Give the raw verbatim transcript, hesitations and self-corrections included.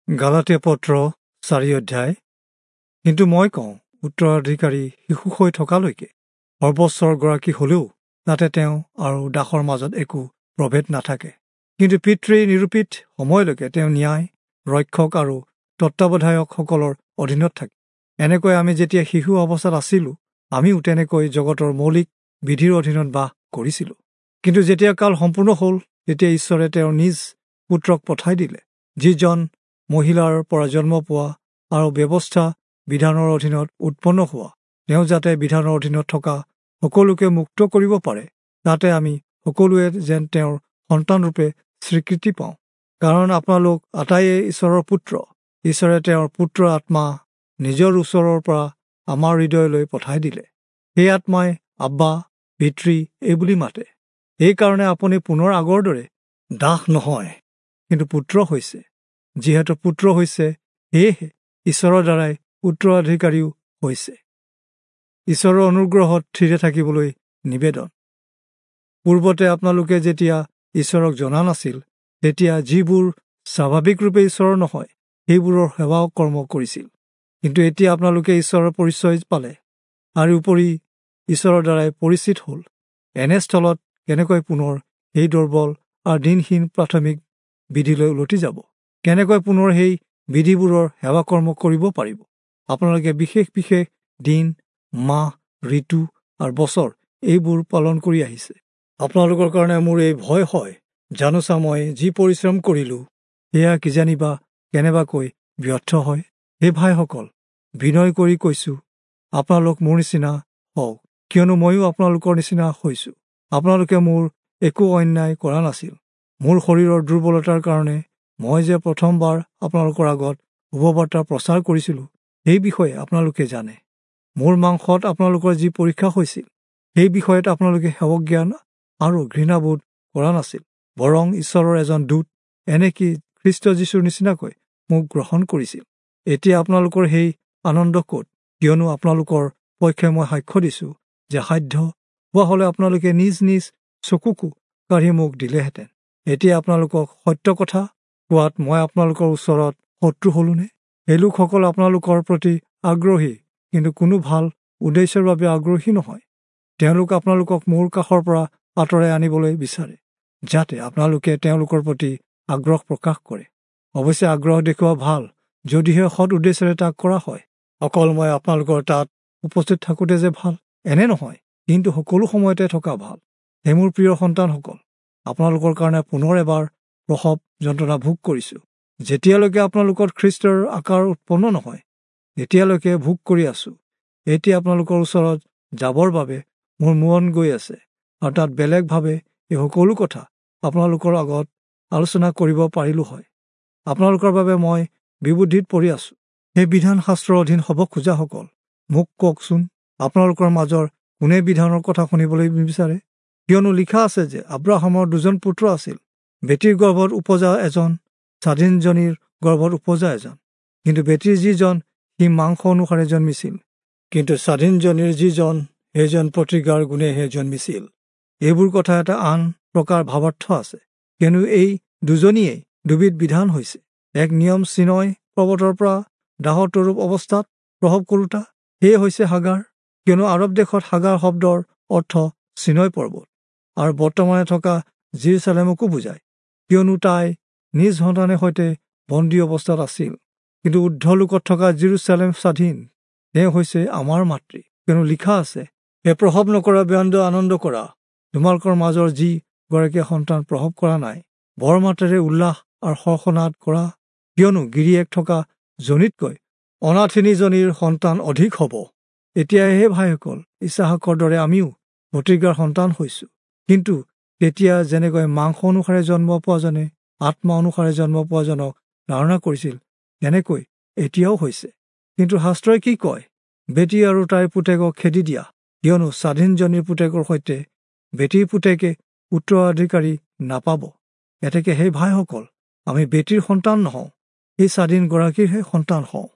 গালাতীয়া পত্ৰ চাৰি অধ্যায়। কিন্তু মই কওঁ, উত্তৰাধিকাৰী শিশু হৈ থকালৈকে সৰ্বস্বৰ গৰাকী হলেও তাতে তেওঁ আৰু দাসৰ মাজত একো প্ৰভেদ নাথাকে। কিন্তু পিতৃ নিৰূপিত সময়লৈকে তেওঁ ন্যায় ৰক্ষক আৰু তত্বাৱধায়কসকলৰ অধীনত থাকে। এনেকৈ আমি যেতিয়া শিশু অৱস্থাত আছিলোঁ, আমিও তেনেকৈ জগতৰ মৌলিক বিধিৰ অধীনত বাস কৰিছিলোঁ। কিন্তু যেতিয়া কাল সম্পূৰ্ণ হ'ল, তেতিয়া ঈশ্বৰে তেওঁৰ নিজ পুত্ৰক পঠাই দিলে, যিজন মহিলাৰ পৰা জন্ম পোৱা আৰু ব্যৱস্থা বিধানৰ অধীনত উৎপন্ন হোৱা, তেওঁ যাতে বিধানৰ অধীনত থকা সকলোকে মুক্ত কৰিব পাৰে, তাতে আমি সকলোৱে যেন তেওঁৰ সন্তানৰূপে স্বীকৃতি পাওঁ। কাৰণ আপোনালোক আটাইয়ে ঈশ্বৰৰ পুত্ৰ। ঈশ্বৰে তেওঁৰ পুত্ৰৰ আত্মা নিজৰ ওচৰৰ পৰা আমাৰ হৃদয়লৈ পঠাই দিলে। সেই আত্মাই আব্বা, পিতৃ এইবুলি মাতে। এইকাৰণে আপুনি পুনৰ আগৰ দৰে দাস নহয়, কিন্তু পুত্ৰ হৈছে। যিহেতু পুত্ৰ হৈছে, সেয়েহে ঈশ্বৰৰ দ্বাৰাই উত্তৰাধিকাৰীও হৈছে। ঈশ্বৰৰ অনুগ্ৰহত থিৰে থাকিবলৈ নিবেদন। পূৰ্বতে আপোনালোকে যেতিয়া ঈশ্বৰক জনা নাছিল, তেতিয়া যিবোৰ স্বাভাৱিকৰূপে ঈশ্বৰৰ নহয়, সেইবোৰৰ সেৱা কৰ্ম কৰিছিল। কিন্তু এতিয়া আপোনালোকে ঈশ্বৰৰ পৰিচয় পালে আৰু উপৰি ঈশ্বৰৰ দ্বাৰাই পৰিচিত হ'ল। এনেস্থলত কেনেকৈ পুনৰ সেই দুৰ্বল আৰু দিনহীন প্ৰাথমিক বিধিলৈ উলটি যাব? কেনেকৈ পুনৰ সেই বিধিবোৰৰ সেৱা কৰ্ম কৰিব পাৰিব? আপোনালোকে বিশেষ বিশেষ দিন, মাহ, ঋতু আৰু বছৰ এইবোৰ পালন কৰি আহিছে। আপোনালোকৰ কাৰণে মোৰ এই ভয় হয়, জানোচা মই যি পৰিশ্ৰম কৰিলোঁ সেয়া কিজানিবা কেনেবাকৈ ব্যৰ্থ হয়। হে ভাইসকল, বিনয় কৰি কৈছোঁ, আপোনালোক মোৰ নিচিনা হওক, কিয়নো ময়ো আপোনালোকৰ নিচিনা হৈছোঁ। আপোনালোকে মোৰ একো অন্যায় কৰা নাছিল। মোৰ শৰীৰৰ দুৰ্বলতাৰ কাৰণে মই যে প্ৰথমবাৰ আপোনালোকৰ আগত শুভবাৰ্তা প্ৰচাৰ কৰিছিলোঁ, সেই বিষয়ে আপোনালোকে জানে। মোৰ মাংসত আপোনালোকৰ যি পৰীক্ষা হৈছিল, সেই বিষয়ত আপোনালোকে সেৱজ্ঞান আৰু ঘৃণাবোধ কৰা নাছিল, বৰং ঈশ্বৰৰ এজন দূত, এনেকি খ্ৰীষ্ট যীশুৰ নিচিনাকৈ মোক গ্ৰহণ কৰিছিল। এতিয়া আপোনালোকৰ সেই আনন্দ ক'ত? কিয়নো আপোনালোকৰ পক্ষে মই সাক্ষ্য দিছোঁ যে সাধ্য হোৱা হ'লে আপোনালোকে নিজ নিজ চকুকো কাঢ়ি মোক দিলেহেঁতেন। এতিয়া আপোনালোকক সত্য কথা কোৱাত মই আপোনালোকৰ ওচৰত শত্ৰু হ'লোনে? এই লোকসকল আপোনালোকৰ প্ৰতি আগ্ৰহী, কিন্তু কোনো ভাল উদ্দেশ্যৰ বাবে আগ্ৰহী নহয়। তেওঁলোক আপোনালোকক মোৰ কাষৰ পৰা আঁতৰাই আনিবলৈ বিচাৰে, যাতে আপোনালোকে তেওঁলোকৰ প্ৰতি আগ্ৰহ প্ৰকাশ কৰে। অৱশ্যে আগ্ৰহ দেখুওৱা ভাল, যদিহে সৎ উদ্দেশ্যেৰে তাক কৰা হয়। অকল মই আপোনালোকৰ তাত উপস্থিত থাকোঁতে যে ভাল, এনে নহয়, কিন্তু সকলো সময়তে থকা ভাল। হে মোৰ প্ৰিয় সন্তানসকল, আপোনালোকৰ কাৰণে পুনৰ এবাৰ প্ৰসৱ যন্ত্ৰণা ভোগ কৰিছোঁ। যেতিয়ালৈকে আপোনালোকৰ খ্ৰীষ্টৰ আকাৰ উৎপন্ন নহয়, তেতিয়ালৈকে ভোগ কৰি আছোঁ। এতিয়া আপোনালোকৰ ওচৰত যাবৰ বাবে মোৰ মন গৈ আছে, আৰু তাত বেলেগভাৱে এই সকলো কথা আপোনালোকৰ আগত আলোচনা কৰিব পাৰিলোঁ হয়। আপোনালোকৰ বাবে মই বিবুদ্ধিত পৰি আছোঁ। সেই বিধান শাস্ত্ৰৰ অধীন হ'ব খোজাসকল, মোক কওকচোন, আপোনালোকৰ মাজৰ কোনে বিধানৰ কথা শুনিবলৈ নিবিচাৰে? কিয়নো লিখা আছে যে আব্ৰাহামৰ দুজন পুত্ৰ আছিল, বেটীৰ গৰ্ভত উপজা এজন, স্বাধীনজনীৰ গৰ্ভত উপজা এজন। কিন্তু বেটীৰ যিজন, সি মাংস অনুসাৰে জন্মিছিল, কিন্তু স্বাধীনজনীৰ যিজন, সেইজন প্ৰতিজ্ঞাৰ গুণেহে জন্মিছিল। এইবোৰ কথা এটা আন প্ৰকাৰ ভাৱাৰ্থ আছে, কিয়নো এই দুজনীয়েই দুবিধ বিধান হৈছে। এক নিয়ম চিনয় পৰ্বতৰ পৰা দাসত্বৰূপ অৱস্থাত প্ৰসৱ কৰোঁতা, সেয়ে হৈছে হাগাৰ। কিয়নো আৰৱ দেশত হাগাৰ শব্দৰ অৰ্থ চিনয় পৰ্বত, আৰু বৰ্তমানে থকা জিৰচালেমকো বুজায়, কিয়নো তাই নিজ সন্তানে সৈতে বন্দী অৱস্থাত আছিল। কিন্তু ঊৰ্ধ্বলোকত থকা জিৰচালেম স্বাধীন, তেওঁ হৈছে আমাৰ মাতৃ। কিয়নো লিখা আছে, হে প্ৰসৱ নকৰা ব্যন্দ আনন্দ কৰা, তোমালোকৰ মাজৰ যি গৰাকীয়ে সন্তান প্ৰসৱ কৰা নাই, বৰ মাতেৰে উল্লাস আৰু হৰ্ষনাদ কৰা, কিয়নো গিৰিয়েক থকা জনীতকৈ অনাথিনীজনীৰ সন্তান অধিক হ'ব। এতিয়া হে ভাইসকল, ইছাহাকৰ দৰে আমিও প্ৰতিজ্ঞাৰ সন্তান হৈছোঁ। কিন্তু তেতিয়া যেনেকৈ মাংস অনুসাৰে জন্ম পোৱাজনে আত্মা অনুসাৰে জন্ম পোৱাজনক ধাৰণা কৰিছিল, তেনেকৈ এতিয়াও হৈছে। কিন্তু শাস্ত্ৰই কি কয়? বেটী আৰু তাইৰ পুতেকক খেদি দিয়া, কিয়নো স্বাধীনজনীৰ পুতেকৰ সৈতে বেটীৰ পুতেকে উত্তৰাধিকাৰী নাপাব। এতেকে সেই ভাইসকল, আমি বেটীৰ সন্তান নহওঁ, সেই স্বাধীন গৰাকীৰহে সন্তান হওঁ।